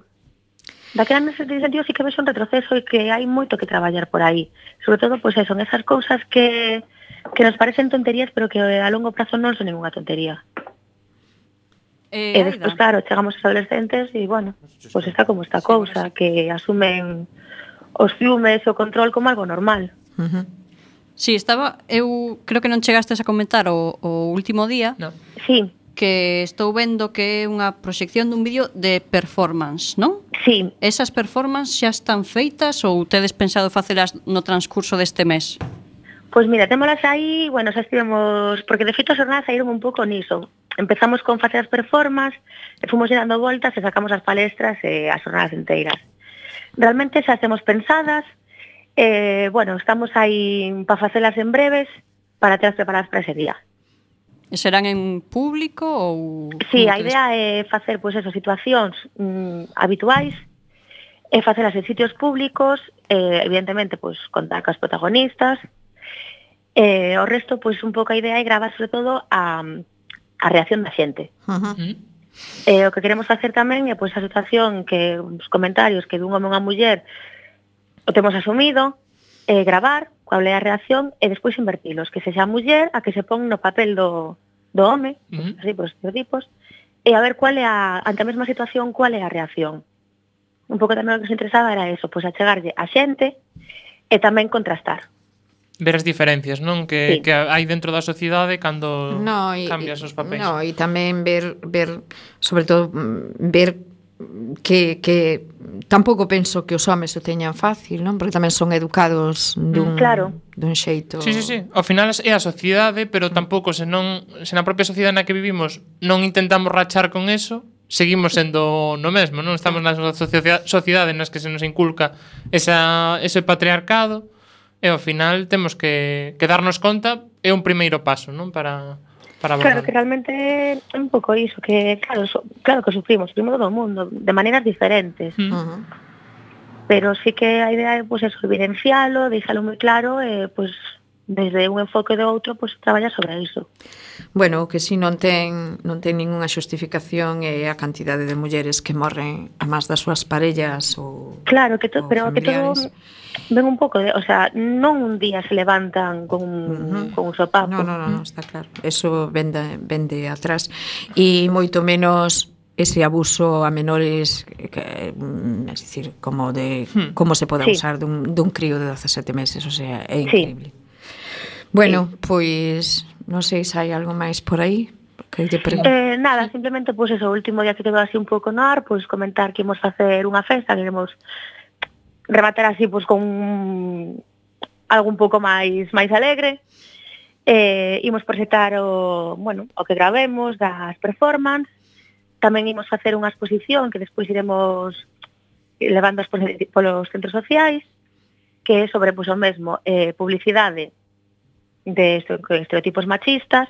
Daquela nese sentido sí que vexo un retroceso e que hai moito que traballar por aí. Sobre todo, pois eso, son esas cousas que que nos parecen tonterías, pero que a longo prazo non son ninguna tontería. Eh, e despois, claro, chegamos aos adolescentes e, bueno, pois está como esta cousa, que asumen os fiumes e o control como algo normal. Uh -huh. Sí, estaba, eu creo que non chegastes a comentar o, o último día. No. Sí. Que estou vendo que é unha proxección dun vídeo de performance, non? Sí. Esas performances xa están feitas ou tedes pensado facelas no transcurso deste mes? Pois mira, témolas aí, bueno, xa estivemos, porque de feito as jornadas saíron un pouco niso. Empezamos con facer as performances, e fomos dando voltas e sacamos as palestras e as jornadas enteiras. Realmente xa temos pensadas, eh, bueno, estamos aí para facelas en breves, para telas preparadas para ese día. E serán en público ou... Sí, a idea é facer, pois, eso, situacións mm, habituais, e facelas en sitios públicos, eh, evidentemente, pois, contar cos protagonistas. Eh, o resto, pois, un pouco a idea é gravar, sobre todo, a, a reacción da xente. Uh -huh. eh, o que queremos facer tamén é, pois, a situación que os comentarios que dun home ou unha muller o temos asumido, eh, gravar cual é a reacción e despois invertilos, que sexa a muller a que se pon no papel do, do home, uh -huh. así, por estereotipos, e a ver cual é a, ante a mesma situación, cual é a reacción. Un pouco tamén o que se interesaba era eso, pois achegarlle a xente e tamén contrastar. Ver as diferencias, non? Que, sí. que hai dentro da sociedade cando no, y, cambias os papéis. No, e tamén ver, ver sobre todo, ver que, que tampouco penso que os homes o teñan fácil, non? Porque tamén son educados dun, claro. dun xeito... Sí, sí, sí. Ao final é a sociedade, pero tampouco se non se na propia sociedade na que vivimos non intentamos rachar con eso, seguimos sendo no mesmo, non? Estamos na sociedade nas que se nos inculca esa, ese patriarcado. E ao final temos que, que darnos conta, é un primeiro paso, non? Para, para claro, que realmente é un pouco iso, que claro, so, claro que sufrimos, sufrimos todo o mundo, de maneiras diferentes. Uh -huh. Pero sí que a idea é, pois, eso, evidencialo, deixalo moi claro, e, pois, desde un enfoque do outro, pois, traballar sobre iso. Bueno, o que si non ten non ten ningunha xustificación é a cantidade de mulleres que morren a más das súas parellas ou claro, que to, pero familiares. Que todo ven un pouco de, o sea, non un día se levantan con un, uh -huh. con un sopapo. No, no, no, no, está claro. Eso vende vende atrás e moito menos ese abuso a menores, que, es decir, como de hmm. como se pode abusar sí. dun dun crío de dezasete meses, o sea, é increíble. Sí. Bueno, sí. Pois non sei se hai algo máis por aí. Que te eh, nada, simplemente pois pues, eso, o último día que quedou así un pouco no ar, pois pues, comentar que imos facer unha festa, que iremos rematar así pois pues, con algo un pouco máis máis alegre. Eh, imos presentar o, bueno, o que gravemos das performance. Tamén imos facer unha exposición que despois iremos levando polos centros sociais, que é sobre pois, o mesmo, eh, publicidade de estereotipos machistas,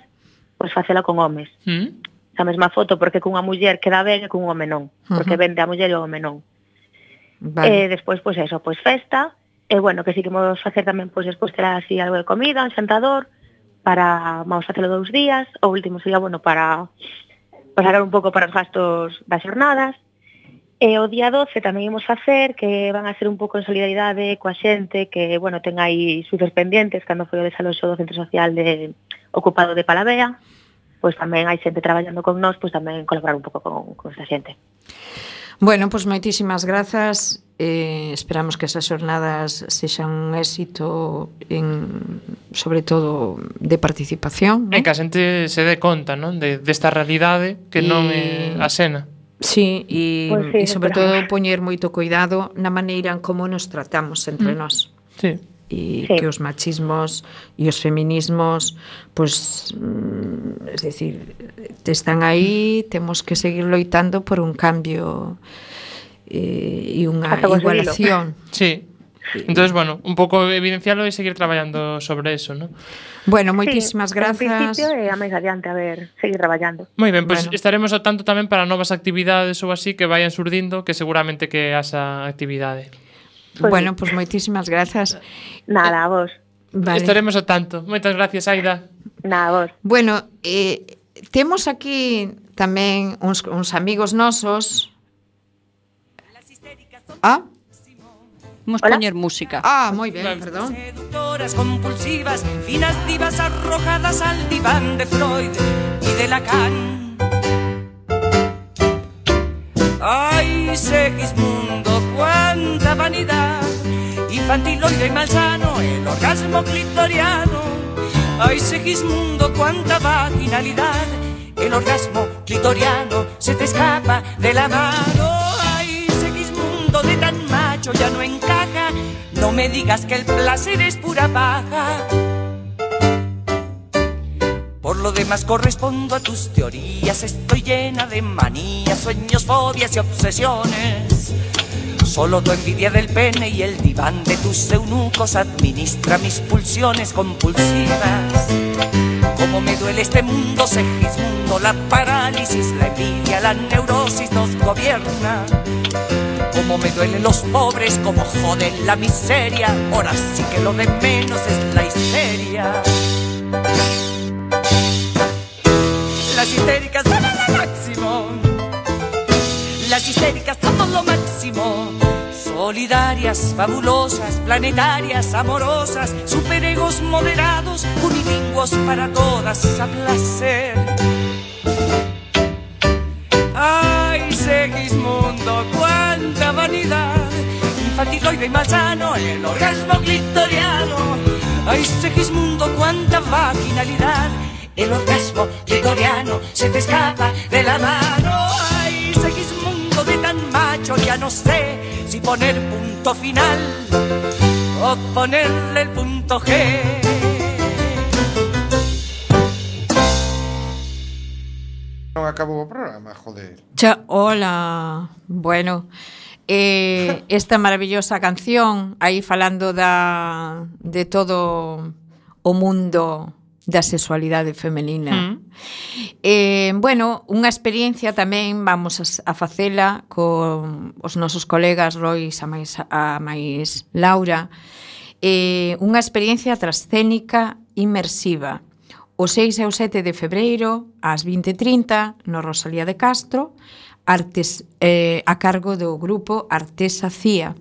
pois facela con homes. Mm. Esa mesma foto, porque cunha muller queda ben e cun home non, porque uh -huh. vende a muller e o home non. Vale. E despois, pois eso, pois festa, e bueno, que si que vamos facer tamén, pois despois terá así algo de comida, un xantador, para, vamos facelo dous días, o último sería, bueno, para, para sacar un pouco para os gastos das jornadas. E o día doce tamén imos facer, que van a ser un pouco en solidaridade coa xente que, bueno, ten aí sucos pendientes cando foi o desaloxo do centro social de, ocupado de Palavea, pois tamén hai xente traballando con nós, pois tamén colaborar un pouco con, con esta xente. Bueno, pois moitísimas grazas. Eh, esperamos que esas xornadas sexan un éxito en, sobre todo de participación, E non? que a xente se dé conta, non? De, desta realidade que non é a Sena. Sí, e, Pois sí, e sobre esperamos. todo poñer moito cuidado na maneira en como nos tratamos entre Mm. nós. Sí. E Sí. que os machismos e os feminismos, pois, mm, es decir, están aí, temos que seguir loitando por un cambio eh, e unha Hasta conseguilo. igualación. Sí. Entonces, bueno, un pouco evidenciarlo e seguir traballando sobre eso, ¿no? Bueno, Sí, moitísimas En grazas. principio, e a máis adiante, a ver, seguir traballando. Moi ben, pois Bueno. estaremos ao tanto tamén para novas actividades ou así que vayan surdindo, que seguramente que haxa actividade. Pois Bueno, sí. pois moitísimas grazas. Nada, a vos. Vale. Estaremos ao tanto. Moitas gracias, Aida. Nada, a vos. Bueno, eh, temos aquí tamén uns, uns amigos nosos. Ah, Vamos Hola. poñer música. ah, moi ben, perdón. Seductoras compulsivas, finas divas arrojadas al diván de Freud y de Lacan. Ay, Segismundo, cuánta vanidad, infantiloide y malsano, el orgasmo clitoriano. Ay, Segismundo, cuánta vaginalidad, el orgasmo clitoriano se te escapa de la mano. Ay, Segismundo, de tan macho ya no encaja, no me digas que el placer es pura paja. Por lo demás correspondo a tus teorías, estoy llena de manías, sueños, fobias y obsesiones. Solo tu envidia del pene y el diván de tus eunucos administra mis pulsiones compulsivas. Cómo me duele este mundo, Segismundo, la parálisis, la envidia, la neurosis nos gobierna. Cómo me duelen los pobres, cómo joden la miseria, ahora sí que lo de menos es la histeria. Las histéricas son lo máximo, las histéricas somos lo máximo. Solidarias, fabulosas, planetarias, amorosas, superegos moderados, unilingüos para todas a placer. Ay, Segismundo, cuánta vanidad, infantiloide y malsano, el orgasmo clitoriano. Ay, Segismundo, cuánta vaginalidad, el orgasmo clitoriano se te escapa de la mano. Ay, Segismundo, de tan macho ya no sé si poner punto final o ponerle el punto G. Non acabou o programa, joder. Cha, hola. Bueno, eh, esta maravillosa canción aí falando da de todo o mundo da sexualidade femenina. Mm. Eh, bueno, unha experiencia tamén vamos a, a facela con os nosos colegas Rois a máis, a máis Laura. Eh, unha experiencia trascénica inmersiva. O seis e o sete de febreiro, ás vinte e trinta, no Rosalía de Castro, artes, eh, a cargo do grupo Artesa Cía.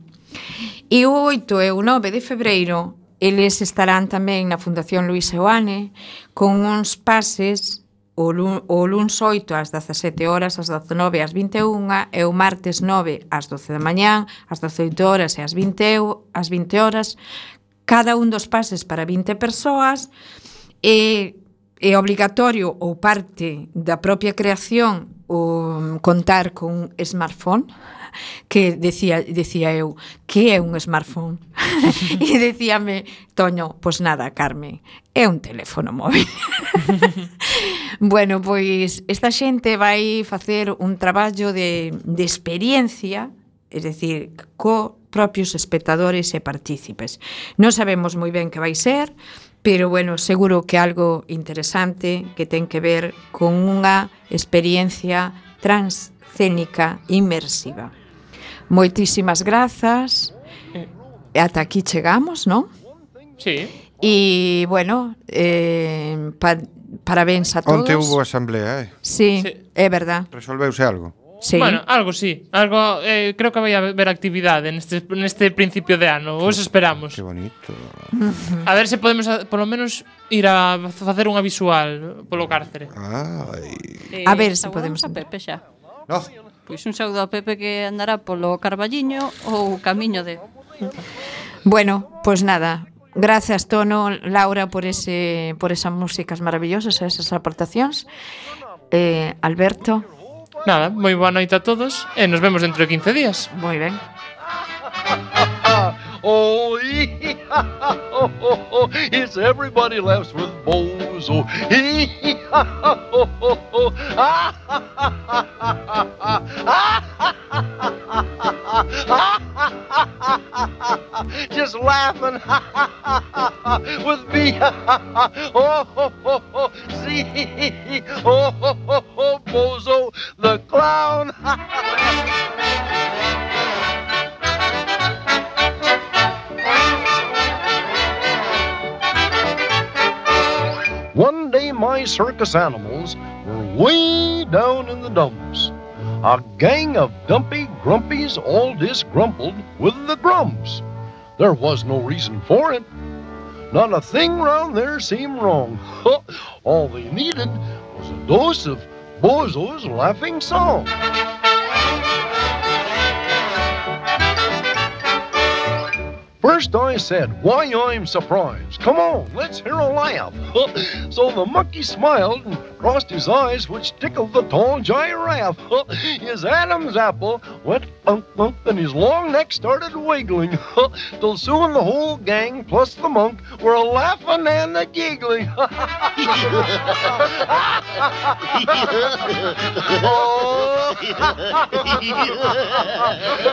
E o oito e o nove de febreiro, eles estarán tamén na Fundación Luis Seoane con uns pases o, lun, o luns oito ás dezasete horas, ás dezenove ás vinte e unha e o martes nove ás doce da mañán, ás dezoito horas e ás vinte, ás vinte horas, cada un dos pases para vinte persoas. E é obligatorio ou parte da propia creación o contar con un smartphone, que decía, decía eu, que é un smartphone? E decíame Toño, pois nada, Carmen, é un teléfono móvil. Bueno, pois esta xente vai facer un traballo de, de experiencia, es decir, co propios espectadores e partícipes. Non sabemos moi ben que vai ser, pero bueno, seguro que algo interesante que ten que ver con unha experiencia transcénica inmersiva. Moitísimas grazas. Ata aquí chegamos, non? Sí. E, bueno, eh, pa, parabéns a todos. Onte hubo asamblea, eh? Sí, Sí. é verdad. Resolveuse algo. Sí. Bueno, algo sí. Algo, eh, creo que vai haber actividade neste, neste principio de ano. Ou eso esperamos. Que bonito. A ver se podemos, a, polo menos, ir a facer unha visual polo cárcere. Ai. Eh, A ver se saludamos podemos a Pepe xa. No, Pois un saúdo a Pepe que andará polo Carballiño ou camiño de... Bueno, pois nada, gracias Tono, Laura por ese por esas músicas maravillosas, esas aportacións. Eh, Alberto. Nada, moi boa noite a todos e nos vemos dentro de quince días. Moi ben. Oh, oh, oh, oh, it's everybody laughs with Bozo. Oh, oh, oh. Ah, just laughing with me. Oh, oh, oh, oh, see, oh, oh, oh, oh, Bozo the clown. One day my circus animals were way down in the dumps. A gang of dumpy grumpies all disgrumpled with the grumps. There was no reason for it. Not a thing round there seemed wrong. All they needed was a dose of Bozo's laughing song. First I said, why I'm surprised. Come on, let's hear a laugh. So the monkey smiled and crossed his eyes, which tickled the tall giraffe. His Adam's apple went unk unk and his long neck started wiggling. Till soon the whole gang plus the monk were a laughing and a giggling. Oh.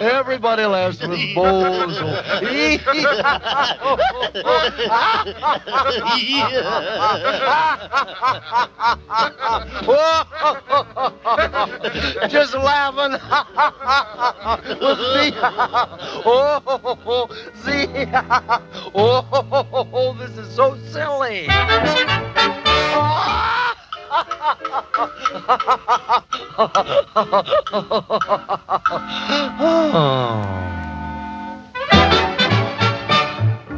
Everybody laughs with Bozo. Just laughing with me. Oh, see, oh, this is so silly. Oh.